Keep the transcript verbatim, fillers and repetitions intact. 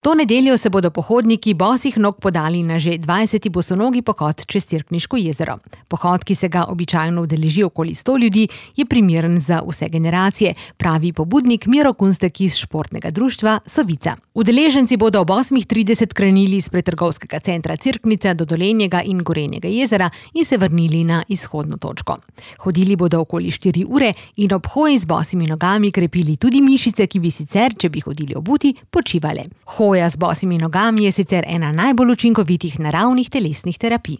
To nedeljo se bodo pohodniki bosih nog podali na že dvajseti bosonogi pohod čez Cerkniško jezero. Pohod, ki se ga običajno udeleži okoli sto ljudi, je primeren za vse generacije, pravi pobudnik Miro Kunstek iz športnega društva Sovica. Udeleženci bodo ob osmih trideset krenili iz pretrgovskega centra Cerknica do Dolenjega in Gorenjega jezera in se vrnili na izhodno točko. Hodili bodo okoli štiri ure in ob hoji z bosimi nogami krepili tudi mišice, ki bi sicer, če bi hodili obuti, počivale. Hoja z bosimi nogami je sicer ena najbolj učinkovitih naravnih telesnih terapij.